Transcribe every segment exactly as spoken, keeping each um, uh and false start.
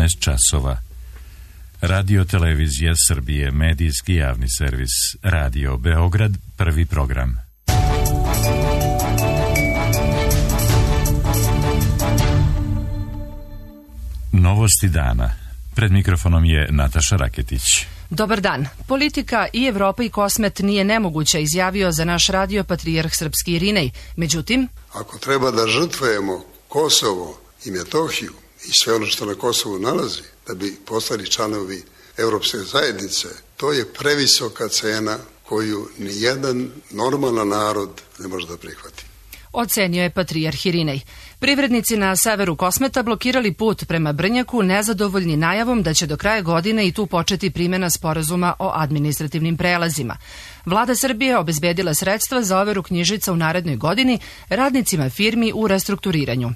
četrnaest časova. Radio Televizija Srbije, medijski javni servis, Radio Beograd, prvi program. Novosti dana. Pred mikrofonom je Nataša Raketić. Dobar dan. Politika i Evropa i Kosmet nije nemoguća, izjavio za naš radio patrijarh srpski Irinej. Međutim, ako treba da žrtvujemo Kosovo i Metohiju i sve ono što na Kosovu nalazi, da bi postali članovi Evropske zajednice, to je previsoka cena koju nijedan normalan narod ne može da prihvati. Ocenio je patrijarh Irinej. Privrednici na severu Kosmeta blokirali put prema Brnjaku, nezadovoljni najavom da će do kraja godine i tu početi primjena sporazuma o administrativnim prelazima. Vlada Srbije obezbedila sredstva za overu knjižica u narednoj godini radnicima firmi u restrukturiranju.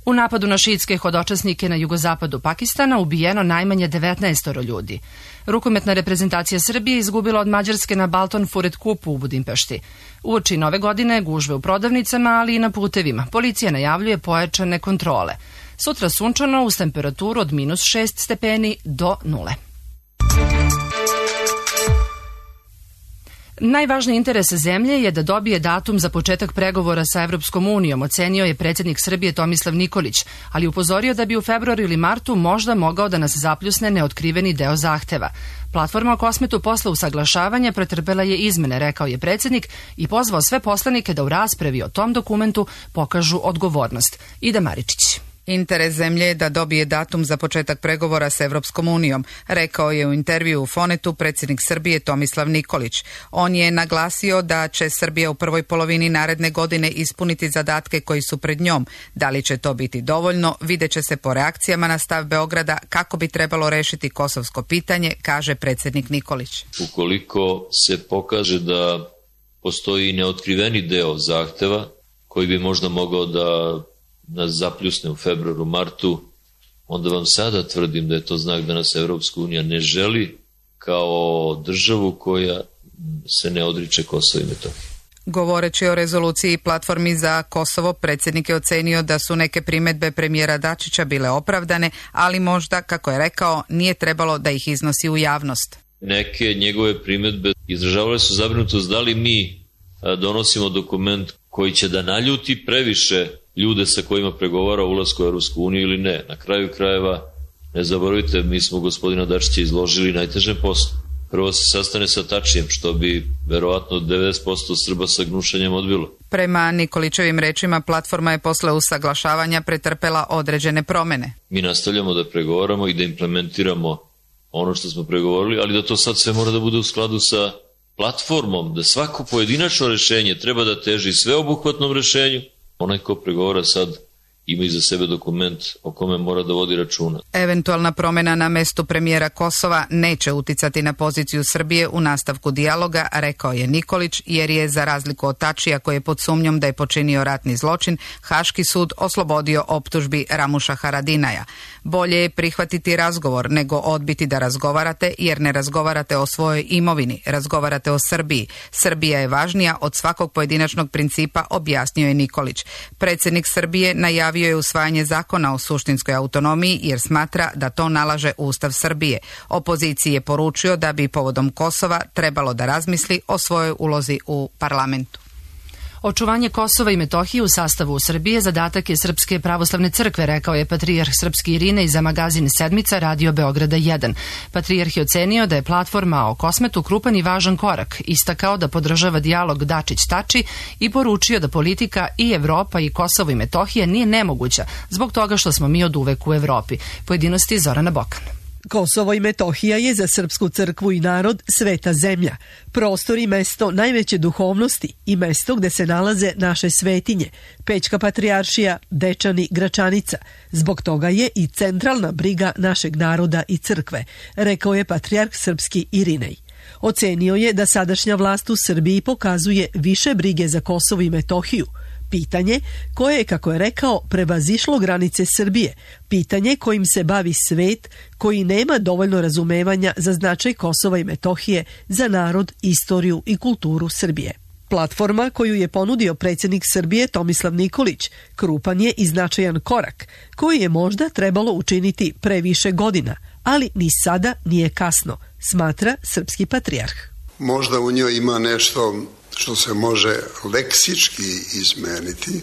U napadu na šiitske hodočasnike na jugozapadu Pakistana ubijeno najmanje devetnaest ljudi. Rukometna reprezentacija Srbije izgubila od Mađarske na Balton Furet Kupu u Budimpešti. Uoči nove godine gužve u prodavnicama, ali i na putevima. Policija najavljuje pojačane kontrole. Sutra sunčano uz temperaturu od minus šest stepeni do nule. Najvažniji interes zemlje je da dobije datum za početak pregovora sa Evropskom unijom, ocenio je predsjednik Srbije Tomislav Nikolić, ali upozorio da bi u februaru ili martu možda mogao da nas zapljusne neotkriveni deo zahteva. Platforma o Kosmetu posle usaglašavanja pretrpela je izmene, rekao je predsjednik, i pozvao sve poslanike da u raspravi o tom dokumentu pokažu odgovornost. Ida Maričić. Interes zemlje je da dobije datum za početak pregovora s Evropskom unijom, rekao je u intervju u Fonetu predsjednik Srbije Tomislav Nikolić. On je naglasio da će Srbija u prvoj polovini naredne godine ispuniti zadatke koji su pred njom. Da li će to biti dovoljno, vidjet će se po reakcijama na stav Beograda kako bi trebalo rešiti kosovsko pitanje, kaže predsjednik Nikolić. Ukoliko se pokaže da postoji neotkriveni deo zahteva koji bi možda mogao da nas zapljusne u februaru, martu, onda vam sada tvrdim da je to znak da nas Evropska unija ne želi kao državu koja se ne odriče Kosova i Metohije. Govoreći o rezoluciji platformi za Kosovo, predsjednik je ocenio da su neke primjedbe premijera Dačića bile opravdane, ali možda, kako je rekao, nije trebalo da ih iznosi u javnost. Neke njegove primjedbe izražavale su zabrinutost da li mi donosimo dokument koji će da naljuti previše ljude sa kojima pregovara o ulasku u Evropsku uniju ili ne. Na kraju krajeva, ne zaboravite, mi smo gospodina Dačića izložili najtežem poslu. Prvo se sastane sa Tačijem, što bi verovatno devedeset posto Srba sa gnušanjem odbilo. Prema Nikolićevim rečima, platforma je posle usaglašavanja pretrpela određene promene. Mi nastavljamo da pregovaramo i da implementiramo ono što smo pregovorili, ali da to sad sve mora da bude u skladu sa platformom, da svako pojedinačno rešenje treba da teži sveobuhvatnom rešenju. Onaj ko pregovara sad ima iza sebe dokument o kome mora da vodi računa. Eventualna promjena na mestu premijera Kosova neće uticati na poziciju Srbije u nastavku dijaloga, rekao je Nikolić, jer je, za razliku od Tačija koji je pod sumnjom da je počinio ratni zločin, Haški sud oslobodio optužbi Ramuša Haradinaja. Bolje je prihvatiti razgovor nego odbiti da razgovarate, jer ne razgovarate o svojoj imovini, razgovarate o Srbiji. Srbija je važnija od svakog pojedinačnog principa, objasnio je Nikolić. Predsjednik Srbije najavio je usvajanje zakona o suštinskoj autonomiji jer smatra da to nalaže Ustav Srbije. Opoziciji je poručio da bi povodom Kosova trebalo da razmisli o svojoj ulozi u parlamentu. Očuvanje Kosova i Metohije u sastavu Srbije zadatak je Srpske pravoslavne crkve, rekao je patrijarh srpski Irinej za magazin Sedmica Radio Beograda jedan. Patrijarh je ocenio da je platforma o Kosmetu krupan i važan korak, istakao da podržava dijalog Dačić-Tači i poručio da politika i Evropa i Kosovo i Metohija nije nemoguća zbog toga što smo mi od uvek u Evropi. Pojedinosti Zorana Bokan. Kosovo i Metohija je za srpsku crkvu i narod sveta zemlja, prostor i mesto najveće duhovnosti i mesto gde se nalaze naše svetinje, Pećka patrijaršija, Dečani, Gračanica. Zbog toga je i centralna briga našeg naroda i crkve, rekao je patrijarh srpski Irinej. Ocenio je da sadašnja vlast u Srbiji pokazuje više brige za Kosovo i Metohiju, pitanje koje je, kako je rekao, prevazišlo granice Srbije, pitanje kojim se bavi svet koji nema dovoljno razumevanja za značaj Kosova i Metohije za narod, istoriju i kulturu Srbije. Platforma koju je ponudio predsjednik Srbije Tomislav Nikolić krupan je i značajan korak koji je možda trebalo učiniti pre više godina, ali ni sada nije kasno, smatra srpski patrijarh. Možda u njoj ima nešto što se može leksički izmeniti,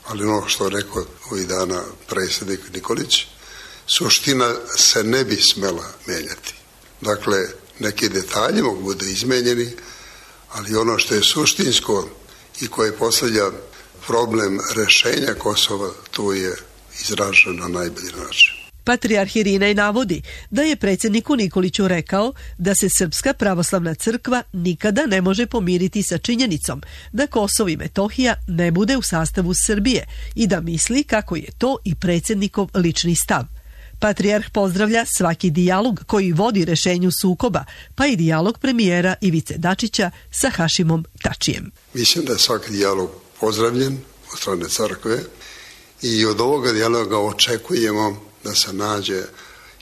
ali ono što je rekao ovih dana predsjednik Nikolić, suština se ne bi smela menjati. Dakle, neki detalji mogu biti izmenjeni, ali ono što je suštinsko i koje postavlja problem rešenja Kosova, to je izraženo na najbolji način. Patrijarh Irinej navodi da je predsjedniku Nikoliću rekao da se Srpska pravoslavna crkva nikada ne može pomiriti sa činjenicom da Kosovo i Metohija ne bude u sastavu Srbije i da misli kako je to i predsjednikov lični stav. Patrijarh pozdravlja svaki dijalog koji vodi rešenju sukoba, pa i dijalog premijera Ivice Dačića sa Hašimom Tačijem. Mislim da je svaki dijalog pozdravljen od strane crkve i od ovoga dijaloga očekujemo da se nađe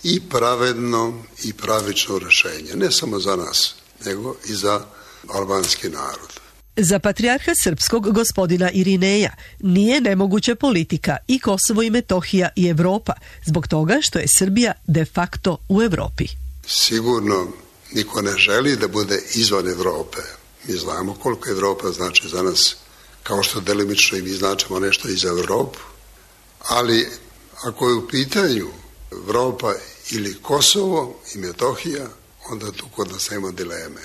i pravedno i pravično rešenje, ne samo za nas, nego i za albanski narod. Za patrijarha srpskog gospodina Irineja nije nemoguća politika i Kosovo i Metohija i Evropa, zbog toga što je Srbija de facto u Evropi. Sigurno niko ne želi da bude izvan Evrope. Mi znamo koliko Evropa znači za nas, kao što delimično i mi značimo nešto i za Evropu, ali ako je u pitanju Evropa ili Kosovo i Metohija, onda tu kod nas nema dileme.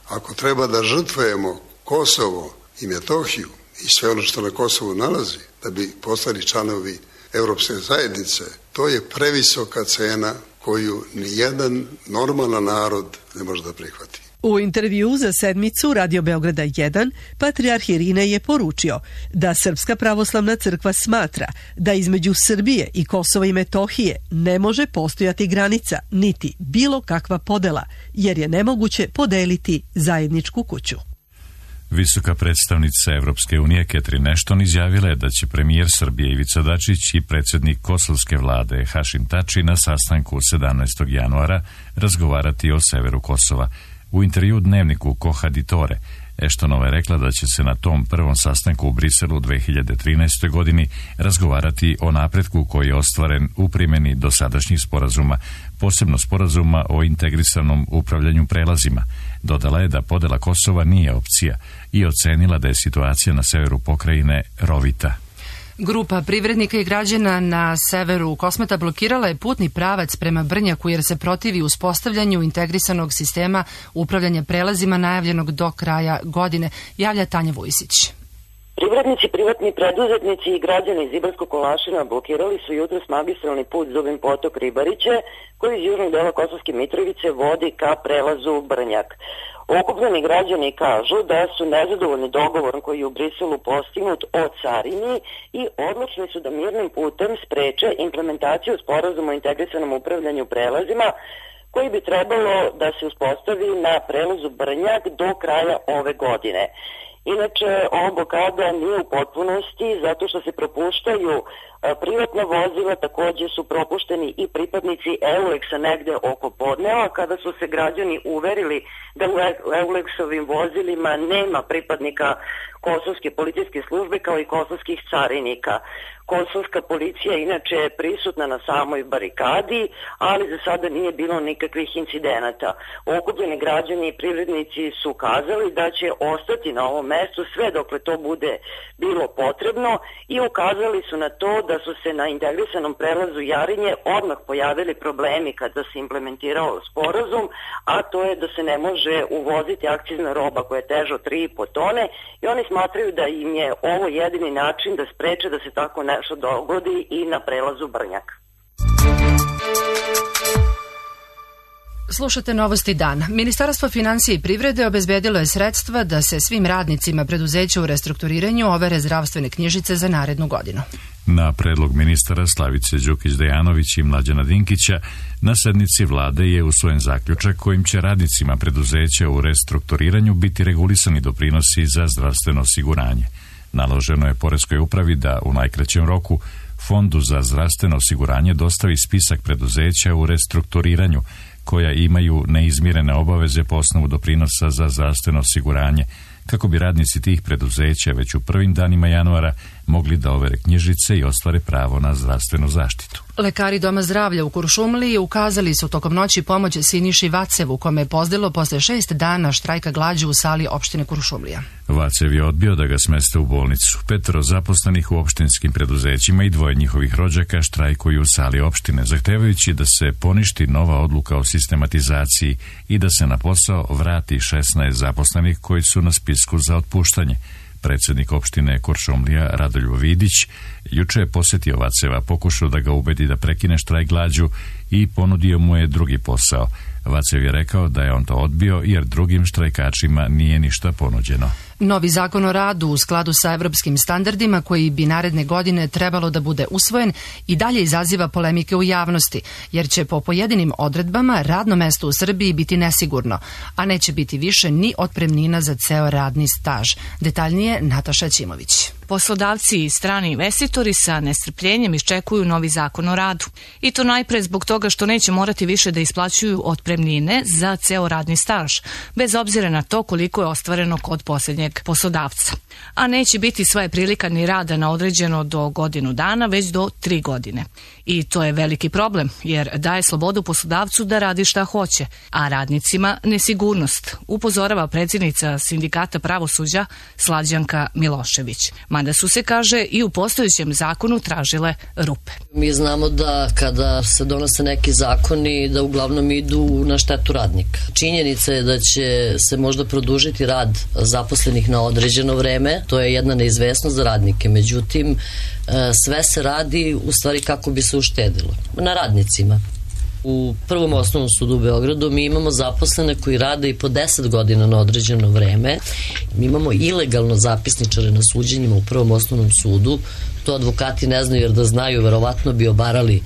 Ako treba da žrtvujemo Kosovo i Metohiju i sve ono što na Kosovu nalazi, da bi postali članovi Evropske zajednice, to je previsoka cena koju nijedan normalan narod ne može da prihvati. U intervju za sedmicu Radio Beograda jedan, patrijarh Irinej je poručio da Srpska pravoslavna crkva smatra da između Srbije i Kosova i Metohije ne može postojati granica, niti bilo kakva podela, jer je nemoguće podeliti zajedničku kuću. Visoka predstavnica Evropske unije Catherine Ashton izjavila je da će premijer Srbije Ivica Dačić i predsjednik kosovske vlade Hašim Tači na sastanku sedamnaestog januara razgovarati o severu Kosova. U intervju dnevniku Kohaditore, Ashtonova je rekla da će se na tom prvom sastanku u Briselu u dve hiljade trinaestoj. godini razgovarati o napretku koji je ostvaren u primjeni dosadašnjih sporazuma, posebno sporazuma o integrisanom upravljanju prelazima. Dodala je da podela Kosova nije opcija i ocenila da je situacija na severu pokrajine rovita. Grupa privrednika i građana na severu Kosmeta blokirala je putni pravac prema Brnjaku jer se protivi uspostavljanju integrisanog sistema upravljanja prelazima najavljenog do kraja godine, javlja Tanja Vujsić. Privrednici, privatni preduzetnici i građani iz Ibarskog Kolašina blokirali su jutros magistralni put Zubin potok Ribariće, koji iz južnog dela Kosovske Mitrovice vodi ka prelazu Brnjak. Okupljeni građani kažu da su nezadovoljni dogovorom koji je u Briselu postignut o carini i odlučni su da mirnim putem spreče implementaciju sporazuma o integrisanom upravljanju prelazima, koji bi trebalo da se uspostavi na prelazu Brnjak do kraja ove godine. Inače, ova blokada nije u potpunosti zato što se propuštaju privatna vozila, također su propušteni i pripadnici Euleksa negde oko podneva, kada su se građani uverili da u Euleksovim vozilima nema pripadnika kosovske policijske službe kao i kosovskih carinika. Kosovska policija inače je prisutna na samoj barikadi, ali za sada nije bilo nikakvih incidenata. Okupljeni građani i privrednici su ukazali da će ostati na ovom mestu sve dokle to bude bilo potrebno i ukazali su na to da su se na integrisanom prelazu Jarinje odmah pojavili problemi kada se implementirao sporazum, a to je da se ne može uvoziti akcizna roba koja je teža od tri i po tone i oni smatraju da im je ovo jedini način da spreče da se tako nešto dogodi i na prelazu Brnjak. Slušate Novosti dana. Ministarstvo finansija i privrede obezbedilo je sredstva da se svim radnicima preduzeća u restrukturiranju overe zdravstvene knjižice za narednu godinu. Na predlog ministara Slavice Đukić-Dejanović i Mlađana Dinkića, na sednici vlade je usvojen zaključak kojim će radnicima preduzeća u restrukturiranju biti regulisani doprinosi za zdravstveno osiguranje. Naloženo je poreskoj upravi da u najkraćem roku Fondu za zdravstveno osiguranje dostavi spisak preduzeća u restrukturiranju koja imaju neizmirene obaveze po osnovu doprinosa za zdravstveno osiguranje, kako bi radnici tih preduzeća već u prvim danima januara mogli da overe knjižice i ostvare pravo na zdravstvenu zaštitu. Lekari Doma zdravlja u Kuršumliji ukazali su tokom noći pomoć Siniši Vacevu, kome je pozdelo posle šest dana štrajka glađu u sali opštine Kuršumlija. Vacev je odbio da ga smeste u bolnicu. Petero zaposlenih u opštinskim preduzećima i dvoje njihovih rođaka štrajkuju u sali opštine, zahtevajući da se poništi nova odluka o sistematizaciji i da se na posao vrati šesnaest zaposlenih koji su na spisku za otpuštanje. Predsjednik opštine Kuršumlija Radoljub Vidić juče je posjetio Vaceva, pokušao da ga ubedi da prekine štrajk glađu i ponudio mu je drugi posao. Vacev je rekao da je on to odbio jer drugim štrajkačima nije ništa ponuđeno. Novi zakon o radu u skladu sa evropskim standardima koji bi naredne godine trebalo da bude usvojen i dalje izaziva polemike u javnosti, jer će po pojedinim odredbama radno mesto u Srbiji biti nesigurno, a neće biti više ni otpremnina za ceo radni staž. Detaljnije Nataša Ćimović. Poslodavci i strani investitori sa nestrpljenjem iščekuju novi zakon o radu. I to najpre zbog toga što neće morati više da isplaćuju otpremnine za ceo radni staž, bez obzira na to koliko je ostvareno kod posljednjeg poslodavca. A neće biti sva je prilika ni rada na određeno do godinu dana, već do tri godine. I to je veliki problem, jer daje slobodu poslodavcu da radi šta hoće, a radnicima nesigurnost, upozorava predsjednica Sindikata pravosuđa Slađanka Milošević. Mada su se, kaže, i u postojećem zakonu tražile rupe. Mi znamo da kada se donose neki zakoni da uglavnom idu na štetu radnika. Činjenica je da će se možda produžiti rad zaposlenih na određeno vreme, to je jedna neizvesnost za radnike, međutim sve se radi u stvari kako bi se uštedilo na radnicima. U Prvom osnovnom sudu u Beogradu mi imamo zaposlene koji rade i po deset godina na određeno vreme. Mi imamo ilegalno zapisničare na suđenjima u Prvom osnovnom sudu. To advokati ne znaju, jer da znaju verovatno bi obarali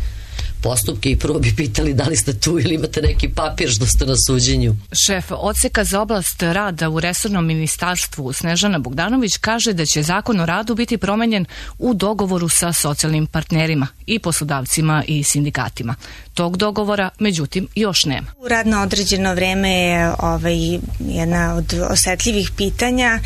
postupke i prvo bi pitali da li ste tu ili imate neki papir što ste na suđenju. Šef odseka za oblast rada u resornom ministarstvu Snežana Bogdanović kaže da će zakon o radu biti promenjen u dogovoru sa socijalnim partnerima i poslodavcima i sindikatima. Tog dogovora, međutim, još nema. Rad na određeno vreme je ovaj, jedna od osetljivih pitanja.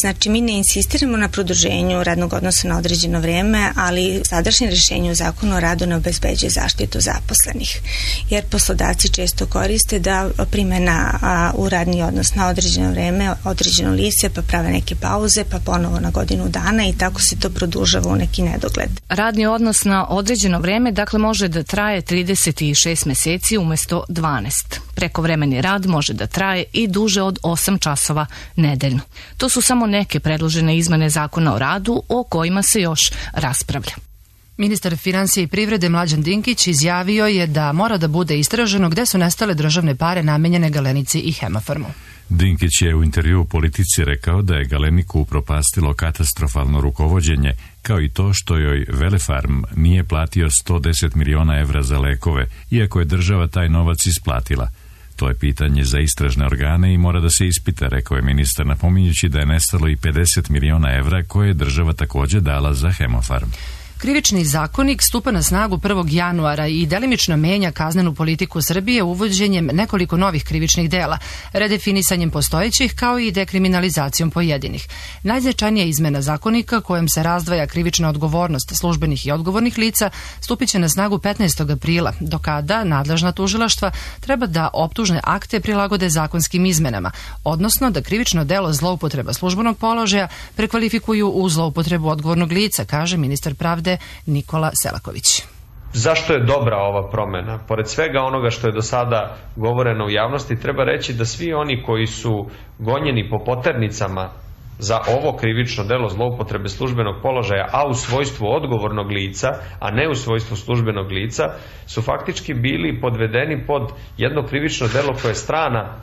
Znači, mi ne insistiramo na produženju radnog odnosa na određeno vreme, ali sadašnje rješenje u zakonu o radu ne obezbeđuje zaštitu zaposlenih. Jer poslodavci često koriste da primena a, u radni odnos na određeno vreme, određeno lice, pa prave neke pauze, pa ponovo na godinu dana i tako se to produžava u neki nedogled. Radni odnos na određeno vreme, dakle, može da traje trideset šest meseci umjesto dvanaest. Prekovremeni rad može da traje i duže od osam časova nedeljno. To su samo neke predložene izmene zakona o radu o kojima se još raspravlja. Ministar financija i privrede Mlađan Dinkić izjavio je da mora da bude istraženo gde su nestale državne pare namenjene Galenici i Hemofarmu. Dinkić je u intervju u Politici rekao da je Galeniku upropastilo katastrofalno rukovođenje, kao i to što joj Velefarm nije platio sto deset miliona evra za lekove, iako je država taj novac isplatila. To je pitanje za istražne organe i mora da se ispita, rekao je ministar, napominjući da je nestalo i pedeset miliona evra koje je država također dala za Hemofarm. Krivični zakonik stupa na snagu prvog januara i delimično menja kaznenu politiku Srbije uvođenjem nekoliko novih krivičnih dela, redefinisanjem postojećih kao i dekriminalizacijom pojedinih. Najznačajnija izmena zakonika kojom se razdvaja krivična odgovornost službenih i odgovornih lica stupit će na snagu petnaestog aprila, do kada nadležna tužilaštva treba da optužne akte prilagode zakonskim izmenama, odnosno da krivično delo zloupotreba službenog položaja prekvalifikuju u zloupotrebu odgovornog lica, kaže ministar pravde Nikola Selaković. Zašto je dobra ova promena? Pored svega onoga što je do sada govoreno u javnosti, treba reći da svi oni koji su gonjeni po poternicama za ovo krivično delo zloupotrebe službenog položaja, a u svojstvu odgovornog lica, a ne u svojstvu službenog lica, su faktički bili podvedeni pod jedno krivično delo koje je strana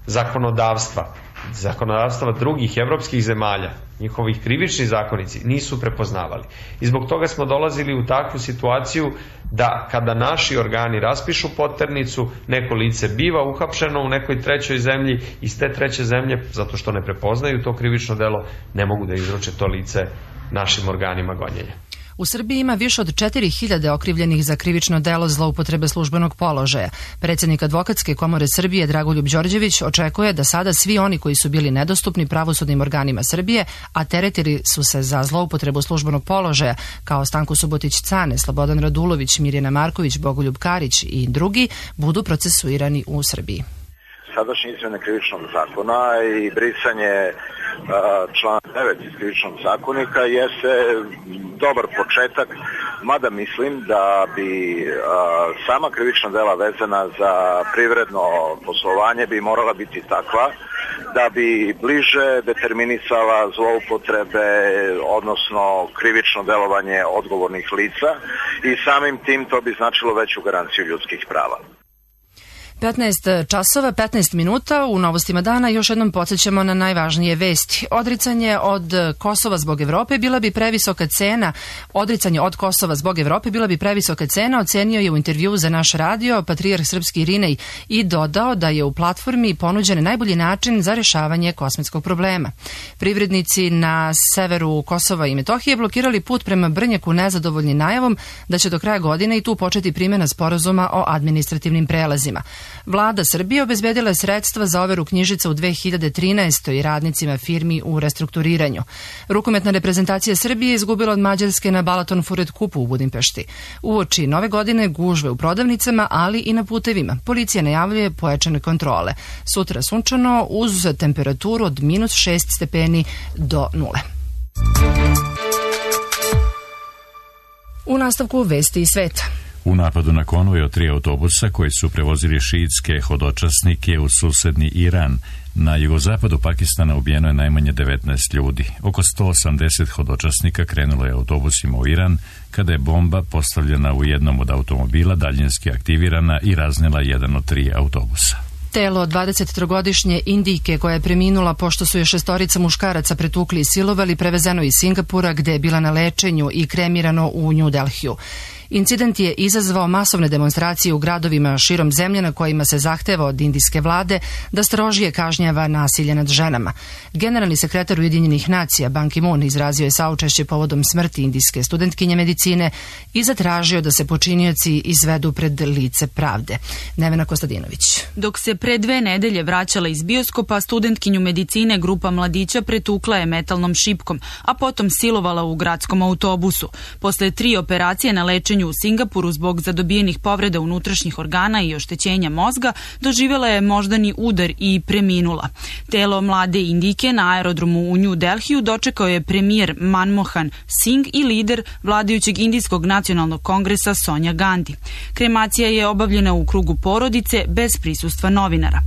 zakonodavstva, zakonodavstva drugih evropskih zemalja. Njihovih krivični zakonici nisu prepoznavali. I zbog toga smo dolazili u takvu situaciju da kada naši organi raspišu poternicu, neko lice biva uhapšeno u nekoj trećoj zemlji, iz te treće zemlje, zato što ne prepoznaju to krivično delo, ne mogu da izruče to lice našim organima gonjenja. U Srbiji ima više od četiri hiljade okrivljenih za krivično delo zloupotrebe službenog položaja. Predsjednik Advokatske komore Srbije Dragoljub Đorđević očekuje da sada svi oni koji su bili nedostupni pravosudnim organima Srbije, a teretili su se za zloupotrebu službenog položaja, kao Stanko Subotić-Cane, Slobodan Radulović, Mirjana Marković, Bogoljub Karić i drugi, budu procesuirani u Srbiji. Sadašnje izmjene krivičnog zakona i brisanje člana devet iz krivičnog zakonika jeste dobar početak, mada mislim da bi sama krivična dela vezana za privredno poslovanje bi morala biti takva da bi bliže determinisala zloupotrebe, odnosno krivično delovanje odgovornih lica i samim tim to bi značilo veću garanciju ljudskih prava. petnaest časova, petnaest minuta, u novostima dana još jednom podsjećamo na najvažnije vesti. Odricanje od Kosova zbog Evrope bila bi previsoka cena. Odricanje od Kosova zbog Evrope bila bi previsoka cena, ocenio je u intervju za naš radio patrijarh srpski Irinej i dodao da je u platformi ponuđen najbolji način za rešavanje kosmetskog problema. Privrednici na severu Kosova i Metohije blokirali put prema Brnjaku nezadovoljni najavom da će do kraja godine i tu početi primjena sporazuma o administrativnim prelazima. Vlada Srbije obezbedila je sredstva za overu knjižica u dve hiljade trinaestoj radnicima firmi u restrukturiranju. Rukometna reprezentacija Srbije izgubila od Mađarske na Balaton Furet Kupu u Budimpešti. Uoči nove godine gužve u prodavnicama, ali i na putevima. Policija najavljuje pojačane kontrole. Sutra sunčano uz temperaturu od minus šest stepeni do nule. U nastavku vesti iz sveta. U napadu na konvoj od tri autobusa koji su prevozili šiitske hodočasnike u susedni Iran, na jugozapadu Pakistana ubijeno je najmanje devetnaest ljudi. Oko sto osamdeset hodočasnika krenulo je autobusima u Iran kada je bomba postavljena u jednom od automobila daljinski aktivirana i raznela jedan od tri autobusa. Telo dvadesettrogodišnje Indijke koja je preminula pošto su je šestorica muškaraca pretukli i silovali prevezeno iz Singapura gde je bila na lečenju i kremirano u New Delhiju. Incident je izazvao masovne demonstracije u gradovima širom zemlje na kojima se zahteva od indijske vlade da strožije kažnjava nasilje nad ženama. Generalni sekretar Ujedinjenih nacija Ban Ki-moon izrazio je saučešće povodom smrti indijske studentkinje medicine i zatražio da se počinioci izvedu pred lice pravde. Nevena Kostadinović. Dok se pre dve nedelje vraćala iz bioskopa, studentkinju medicine grupa mladića pretukla je metalnom šipkom, a potom silovala u gradskom autobusu. Posle tri operacije na lečenju u Singapuru zbog zadobijenih povreda unutrašnjih organa i oštećenja mozga, doživjela je moždani udar i preminula. Telo mlade Indijke na aerodromu u New Delhiju dočekao je premijer Manmohan Singh i lider vladajućeg Indijskog nacionalnog kongresa Sonja Gandhi. Kremacija je obavljena u krugu porodice bez prisustva novinara.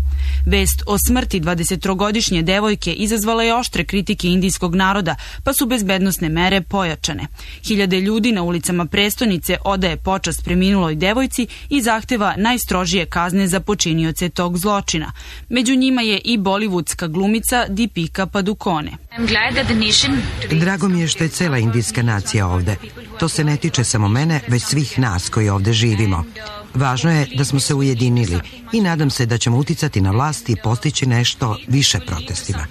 Vest o smrti dvadesettrogodišnje devojke izazvala je oštre kritike indijskog naroda, pa su bezbednosne mere pojačane. Hiljade ljudi na ulicama prestonice odaje počast preminuloj devojci i zahteva najstrožije kazne za počinioce tog zločina. Među njima je i bollywoodska glumica Deepika Padukone. Drago mi je što je cela indijska nacija ovde. To se ne tiče samo mene, već svih nas koji ovde živimo. Važno je da smo se ujedinili i nadam se da ćemo uticati na vlast i postići nešto više protestima.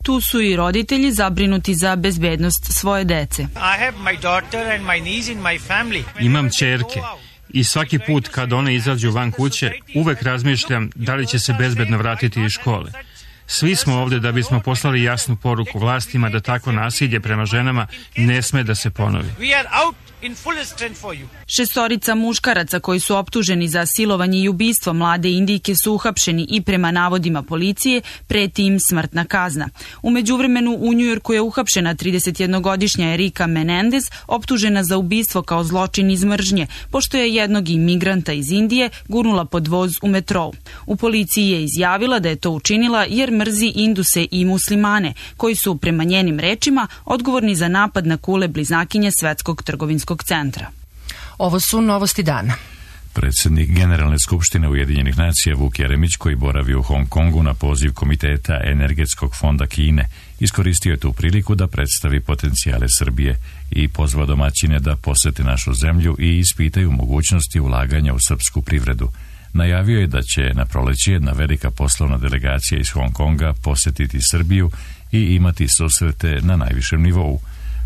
Tu su i roditelji zabrinuti za bezbednost svoje dece. Imam ćerke i svaki put kad one izađu van kuće, uvek razmišljam da li će se bezbedno vratiti iz škole. Svi smo ovde da bismo poslali jasnu poruku vlastima da takvo nasilje prema ženama ne sme da se ponovi. Šestorica muškaraca koji su optuženi za silovanje i ubistvo mlade Indijke su uhapšeni i prema navodima policije preti im smrtna kazna. U međuvremenu u Njujorku je uhapšena tridesetjednogodišnja Erika Menendez, optužena za ubistvo kao zločin iz mržnje, pošto je jednog imigranta iz Indije gurnula pod voz u metrou. U policiji je izjavila da je to učinila jer mrzi Induse i muslimane, koji su prema njenim rečima odgovorni za napad na kule bliznakinje Svetskog trgovinskog centra. Ovo su novosti dana. Predsjednik Generalne skupštine Ujedinjenih nacija Vuk Jeremić, koji boravi u Hong Kongu na poziv Komiteta Energetskog fonda Kine, iskoristio je tu priliku da predstavi potencijale Srbije i pozvao domaćine da posete našu zemlju i ispitaju mogućnosti ulaganja u srpsku privredu. Najavio je da će na proleće jedna velika poslovna delegacija iz Hong Konga posetiti Srbiju i imati susrete na najvišem nivou.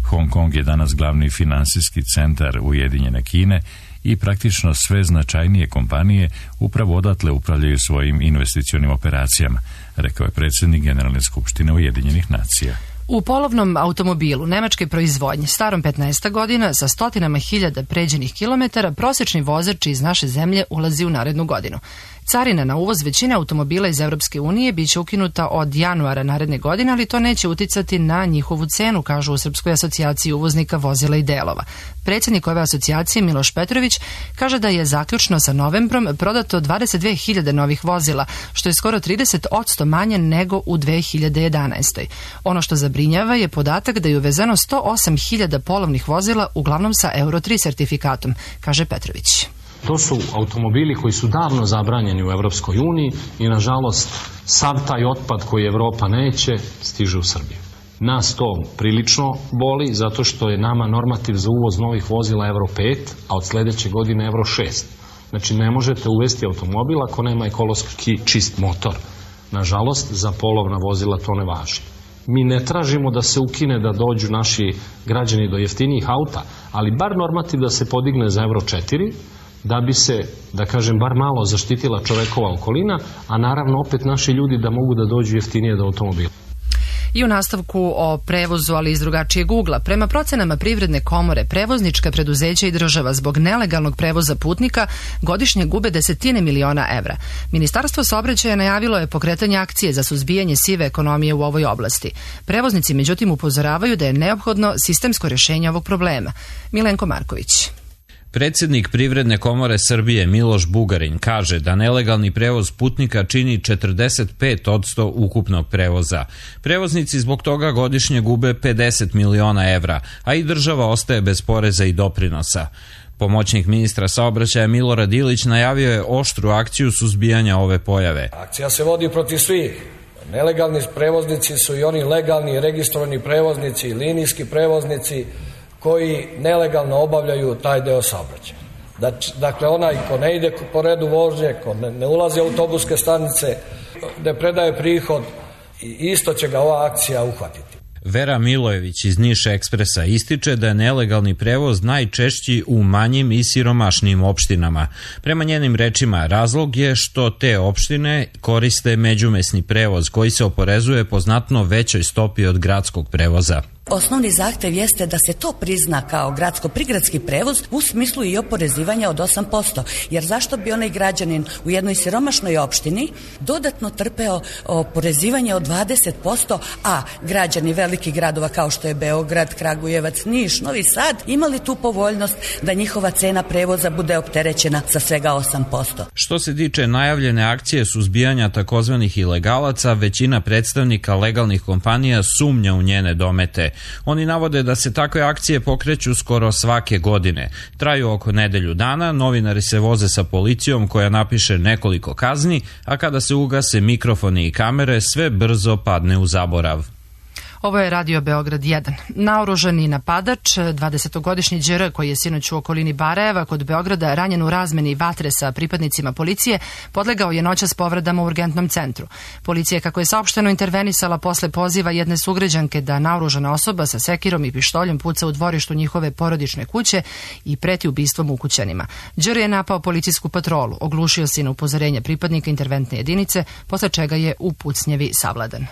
Hong Kong je danas glavni finansijski centar Ujedinjene Kine i praktično sve značajnije kompanije upravo odatle upravljaju svojim investicionim operacijama, rekao je predsjednik Generalne skupštine Ujedinjenih nacija. U polovnom automobilu nemačke proizvodnje starom petnaest godina sa stotinama hiljada pređenih kilometara prosječni vozač iz naše zemlje ulazi u narednu godinu. Carina na uvoz većine automobila iz Evropske unije biće ukinuta od januara naredne godine, ali to neće uticati na njihovu cenu, kažu u Srpskoj asocijaciji uvoznika vozila i delova. Predsjednik ove asocijacije Miloš Petrović kaže da je zaključno sa novembrom prodato dvadeset dve hiljade novih vozila, što je skoro trideset posto manje nego u dve hiljade jedanaestoj. Ono što zabrinjava je podatak da je uvezeno sto osam hiljada polovnih vozila, uglavnom sa Euro tri sertifikatom, kaže Petrović. To su automobili koji su davno zabranjeni u Evropskoj uniji i nažalost sav taj otpad koji Evropa neće stiže u Srbiju. Nas to prilično boli zato što je nama normativ za uvoz novih vozila Euro pet, a od sledeće godine Euro šest. Znači ne možete uvesti automobil ako nema ekološki čist motor. Nažalost, za polovna vozila to ne važi. Mi ne tražimo da se ukine da dođu naši građani do jeftinijih auta, ali bar normativ da se podigne za Euro četiri, da bi se, da kažem, bar malo zaštitila čovekova okolina, a naravno opet naši ljudi da mogu da dođu jeftinije do automobila. I u nastavku o prevozu, ali iz drugačijeg ugla. Prema procenama Privredne komore, prevoznička preduzeća i država zbog nelegalnog prevoza putnika godišnje gube desetine miliona evra. Ministarstvo saobraćaja najavilo je pokretanje akcije za suzbijanje sive ekonomije u ovoj oblasti. Prevoznici međutim upozoravaju da je neophodno sistemsko rješenje ovog problema. Milenko Marković. Predsjednik Privredne komore Srbije Miloš Bugarin kaže da nelegalni prevoz putnika čini četrdeset pet posto ukupnog prevoza. Prevoznici zbog toga godišnje gube pedeset miliona evra, a i država ostaje bez poreza i doprinosa. Pomoćnik ministra saobraćaja Milorad Ilić najavio je oštru akciju suzbijanja ove pojave. Akcija se vodi protiv svih. Nelegalni prevoznici su i oni legalni registrovani prevoznici, linijski prevoznici koji nelegalno obavljaju taj deo saobraćaja. Dakle, onaj ko ne ide po redu vožnje, ko ne, ne ulazi u autobuske stanice, ne predaje prihod, isto će ga ova akcija uhvatiti. Vera Milojević iz Niš Ekspresa ističe da je nelegalni prevoz najčešći u manjim i siromašnijim opštinama. Prema njenim rečima, razlog je što te opštine koriste međumesni prevoz koji se oporezuje po znatno većoj stopi od gradskog prevoza. Osnovni zahtev jeste da se to prizna kao gradsko-prigradski prevoz u smislu i oporezivanja od osam posto. Jer zašto bi onaj građanin u jednoj siromašnoj opštini dodatno trpeo oporezivanje od dvadeset posto, a građani velikih gradova kao što je Beograd, Kragujevac, Niš, Novi Sad imali tu povoljnost da njihova cena prevoza bude opterećena sa svega osam posto. Što se tiče najavljene akcije suzbijanja takozvanih ilegalaca, većina predstavnika legalnih kompanija sumnja u njene domete. Oni navode da se takve akcije pokreću skoro svake godine. Traju oko nedelju dana, novinari se voze sa policijom koja napiše nekoliko kazni, a kada se ugase mikrofoni i kamere, sve brzo padne u zaborav. Ovo je Radio Beograd jedan. Naoružani napadač, dvadesetogodišnji Đ R koji je sinoć u okolini Barajeva kod Beograda ranjen u razmeni vatre sa pripadnicima policije, podlegao je noćas povredama u urgentnom centru. Policija, kako je saopšteno, intervenisala posle poziva jedne sugrađanke da naoružana osoba sa sekirom i pištoljem puca u dvorištu njihove porodične kuće i preti ubistvom ukućanima. Đ R je napao policijsku patrolu, oglušio se na upozorenje pripadnika interventne jedinice, posle čega je u pucnjevi savladan.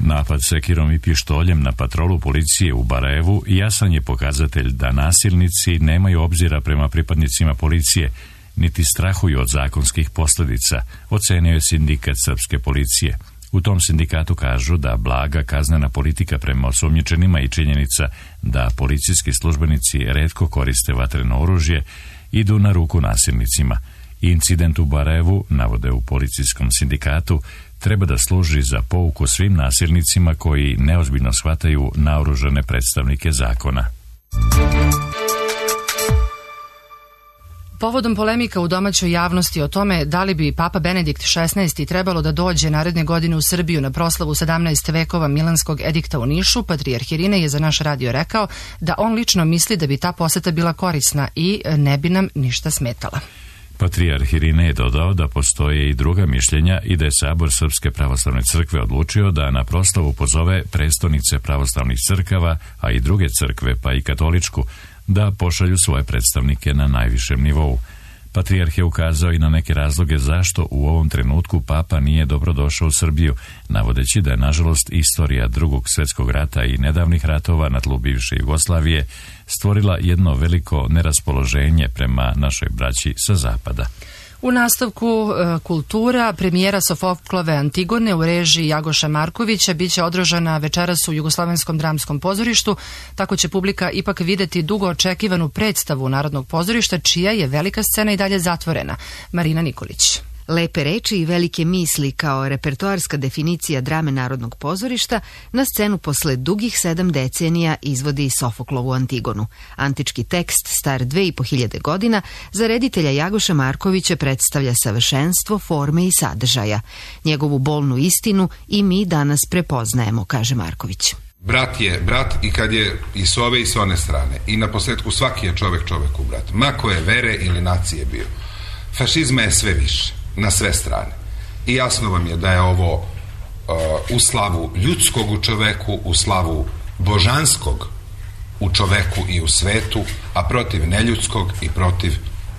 Napad sekirom i pištoljem na patrolu policije u Barajevu jasan je pokazatelj da nasilnici nemaju obzira prema pripadnicima policije, niti strahuju od zakonskih posljedica, ocenio je sindikat srpske policije. U tom sindikatu kažu da blaga kaznena politika prema osumnjičenima i činjenica da policijski službenici retko koriste vatreno oružje idu na ruku nasilnicima. Incident u Barajevu, navode u policijskom sindikatu, treba da služi za pouku svim nasilnicima koji neozbiljno shvataju naoružane predstavnike zakona. Povodom polemika u domaćoj javnosti o tome da li bi Papa Benedikt šesnaesti trebalo da dođe naredne godine u Srbiju na proslavu sedamnaest vekova Milanskog edikta u Nišu, patrijarh Irinej je za naš radio rekao da on lično misli da bi ta poseta bila korisna i ne bi nam ništa smetala. Patrijarh Irinej je dodao da postoje i druga mišljenja i da je Sabor Srpske pravoslavne crkve odlučio da na proslavu pozove prestonice pravoslavnih crkava, a i druge crkve, pa i katoličku, da pošalju svoje predstavnike na najvišem nivou. Patrijarh je ukazao i na neke razloge zašto u ovom trenutku Papa nije dobrodošao u Srbiju, navodeći da je nažalost istorija Drugog svjetskog rata i nedavnih ratova na tlu bivše Jugoslavije stvorila jedno veliko neraspoloženje prema našoj braći sa zapada. U nastavku e, kultura, premijera Sofoklove Antigone u režiji Jagoša Markovića biće održana večeras u Jugoslovenskom dramskom pozorištu, tako će publika ipak videti dugo očekivanu predstavu Narodnog pozorišta, čija je velika scena i dalje zatvorena. Marina Nikolić. Lepe reči i velike misli kao repertoarska definicija drame Narodnog pozorišta na scenu posle dugih sedam decenija izvodi Sofoklovu Antigonu. Antički tekst, star dve i po hiljade godina, za reditelja Jagoša Markovića predstavlja savršenstvo forme i sadržaja. Njegovu bolnu istinu i mi danas prepoznajemo, kaže Marković. Brat je brat i kad je i s ove i s one strane. I na posljedku svaki je čovek čoveku brat. Ma koje vere ili nacije bio. Fašizma je sve više. Na sve strane. I jasno vam je da je ovo uh, u slavu ljudskog u čoveku, u slavu božanskog u čoveku i u svetu, a protiv neljudskog i protiv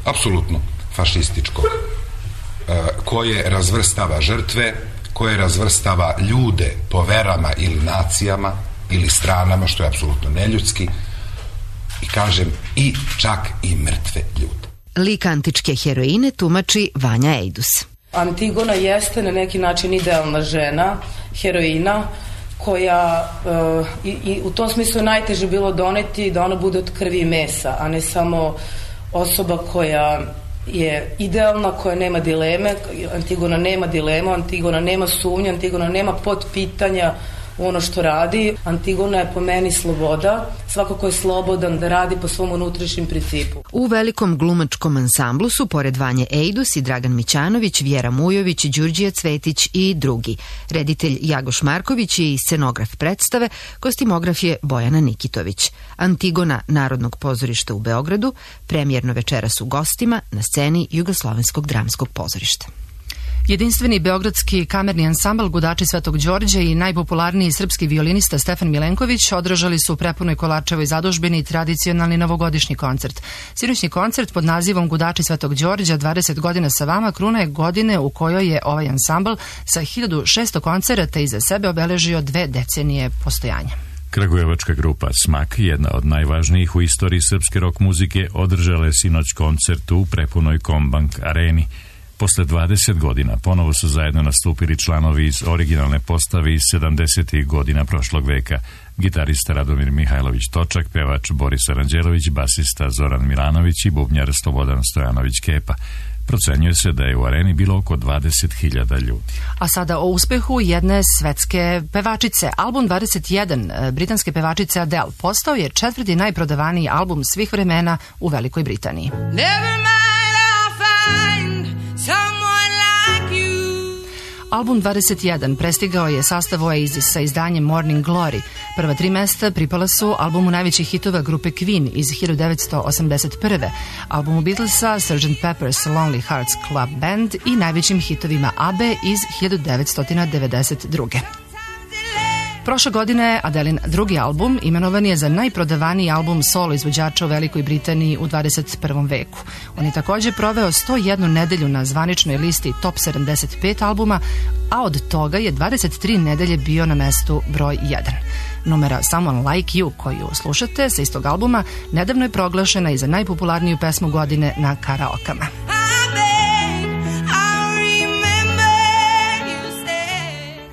apsolutno fašističkog, uh, koje razvrstava žrtve, koje razvrstava ljude po verama ili nacijama ili stranama, što je apsolutno neljudski, i kažem i čak i mrtve ljude. Lik antičke heroine tumači Vanja Ejdus. Antigona jeste na neki način idealna žena, heroina, koja uh, i, i u tom smislu je najteže bilo doneti da ona bude od krvi i mesa, a ne samo osoba koja je idealna, koja nema dileme. Antigona nema dilema, Antigona nema sumnje, Antigona nema potpitanja ono što radi. Antigona je po meni sloboda, svako ko je slobodan da radi po svom unutrašnjem principu. U velikom glumačkom ansamblu su pored Vanje Ejdus i Dragan Mićanović, Vjera Mujović, Đurđija Cvetić i drugi. Reditelj Jagoš Marković je i scenograf predstave, kostimograf je Bojana Nikitović. Antigona Narodnog pozorišta u Beogradu, premijerno večeras u gostima na sceni Jugoslovenskog dramskog pozorišta. Jedinstveni beogradski kamerni ansambl Gudači Svetog Đorđa i najpopularniji srpski violinista Stefan Milenković održali su u prepunoj Kolarčevoj zadužbini tradicionalni novogodišnji koncert. Sinoćni koncert pod nazivom Gudači Svetog Đorđa dvadeset godina sa vama kruna je godine u kojoj je ovaj ansambl sa hiljadu šesto koncerata iza sebe obeležio dve decenije postojanja. Kragujevačka grupa Smak, jedna od najvažnijih u istoriji srpske rock muzike, održala je sinoć koncert u prepunoj Kombank areni. Posle dvadeset godina ponovo su zajedno nastupili članovi iz originalne postave iz sedamdesetih godina prošlog veka. Gitarista Radomir Mihajlović Točak, pevač Boris Aranđelović, basista Zoran Milanović i bubnjar Slobodan Stojanović Kepa. Procenjuje se da je u areni bilo oko dvadeset hiljada ljudi. A sada o uspehu jedne svetske pevačice. Album dvadeset jedan britanske pevačice Adele postao je četvrti najprodavaniji album svih vremena u Velikoj Britaniji. Album dvadeset jedan prestigao je sastav Oasis sa izdanjem Morning Glory. Prva tri mesta pripala su albumu najvećih hitova grupe Queen iz hiljadu devetsto osamdeset prve, albumu Beatlesa sergeant Pepper's Lonely Hearts Club Band i najvećim hitovima A B E iz hiljadu devetsto devedeset druge. Prošle godine Adelin drugi album imenovan je za najprodavaniji album solo izvođača u Velikoj Britaniji u dvadeset prvom veku. On je također proveo sto jednu nedelju na zvaničnoj listi Top sedamdeset pet albuma, a od toga je dvadeset tri nedelje bio na mestu broj jedan. Numera Someone Like You, koju slušate sa istog albuma, nedavno je proglašena i za najpopularniju pesmu godine na karaokama.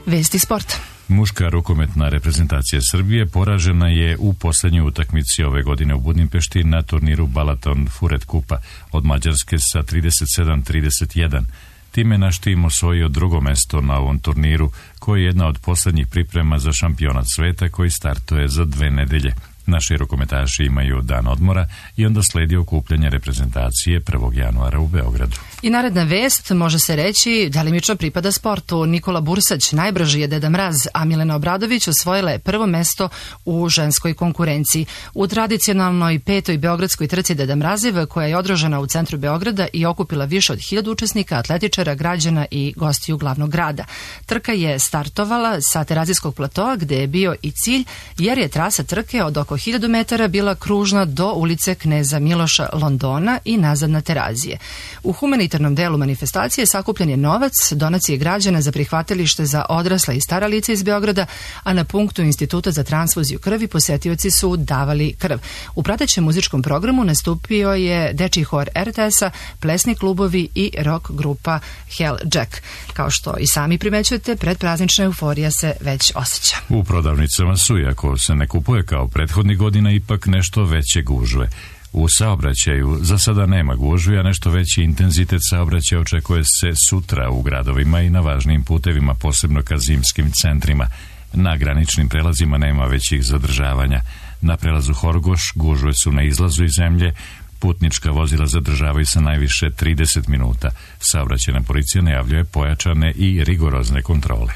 Vesti sporta. Muška rukometna reprezentacija Srbije poražena je u posljednjoj utakmici ove godine u Budimpešti na turniru Balaton Furet Kupa od Mađarske sa trideset sedam trideset jedan. Time naš tim osvojio drugo mesto na ovom turniru, koji je jedna od posljednjih priprema za šampionat sveta koji startuje za dve nedelje. Naši rukometaši imaju dan odmora i onda sledi okupljanje reprezentacije prvog januara u Beogradu. I naredna vest, može se reći, delimično pripada sportu. Nikola Bursać najbrži je Deda Mraz, a Milena Obradović osvojila je prvo mesto u ženskoj konkurenciji. U tradicionalnoj petoj beogradskoj trci Deda Mraziv, koja je održana u centru Beograda i okupila više od hiljadu učesnika, atletičara, građana i gostiju glavnog grada. Trka je startovala sa Terazijskog platoa, gde je bio i cilj, jer je trasa trke od oko hiljadu metara bila kružna do ulice Kneza Miloša Londona i nazad na Terazije. U humanitarnom delu manifestacije sakupljen je novac, donacije građana za prihvatilište za odrasla i stara lica iz Beograda, a na punktu Instituta za transfuziju krvi posetioci su davali krv. U pratećem muzičkom programu nastupio je dečiji hor er te es-a, plesni klubovi i rock grupa Hell Jack. Kao što i sami primećujete, predpraznična euforija se već osjeća. U prodavnicama su, iako se ne kupuje kao prethodnih godina, ipak nešto veće gužve. U saobraćaju za sada nema gužvi, a nešto veći intenzitet saobraćaja očekuje se sutra u gradovima i na važnim putevima, posebno ka zimskim centrima. Na graničnim prelazima nema većih zadržavanja. Na prelazu Horgoš gužve su na izlazu iz zemlje, putnička vozila zadržavaju se najviše trideset minuta. Saobraćajna policija najavljuje pojačane i rigorozne kontrole.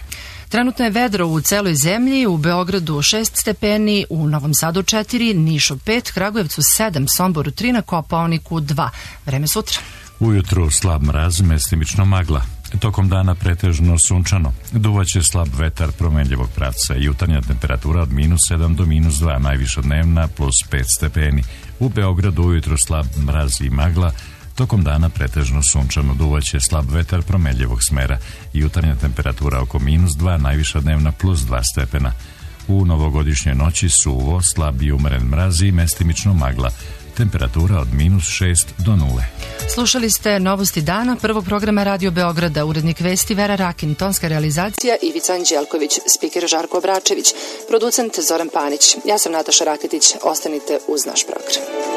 Trenutno je vedro u celoj zemlji, u Beogradu šest stepeni, u Novom Sadu četiri, Nišu pet, Kragujevcu sedam, Somboru tri, na Kopaoniku dva. Vreme sutra. Ujutru slab mraz, mestimično magla. Tokom dana pretežno sunčano. Duvaće slab vetar promenljivog pravca. Jutarnja temperatura od minus sedam do minus dva, najviša dnevna plus pet stepeni. U Beogradu ujutru slab mraz i magla. Tokom dana pretežno sunčano, duvaće slab vetar promenljivog smera. Jutarnja temperatura oko minus dva, najviša dnevna plus dva stepena. U novogodišnjoj noći suvo, slab i umeren mraz i mestimično magla. Temperatura od minus šest do nule. Slušali ste Novosti dana, prvog programa Radio Beograda, urednik vesti Vera Rakin, tonska realizacija Ivica Anđelković, spiker Žarko Obračević, producent Zoran Panić. Ja sam Nataša Raketić, ostanite uz naš program.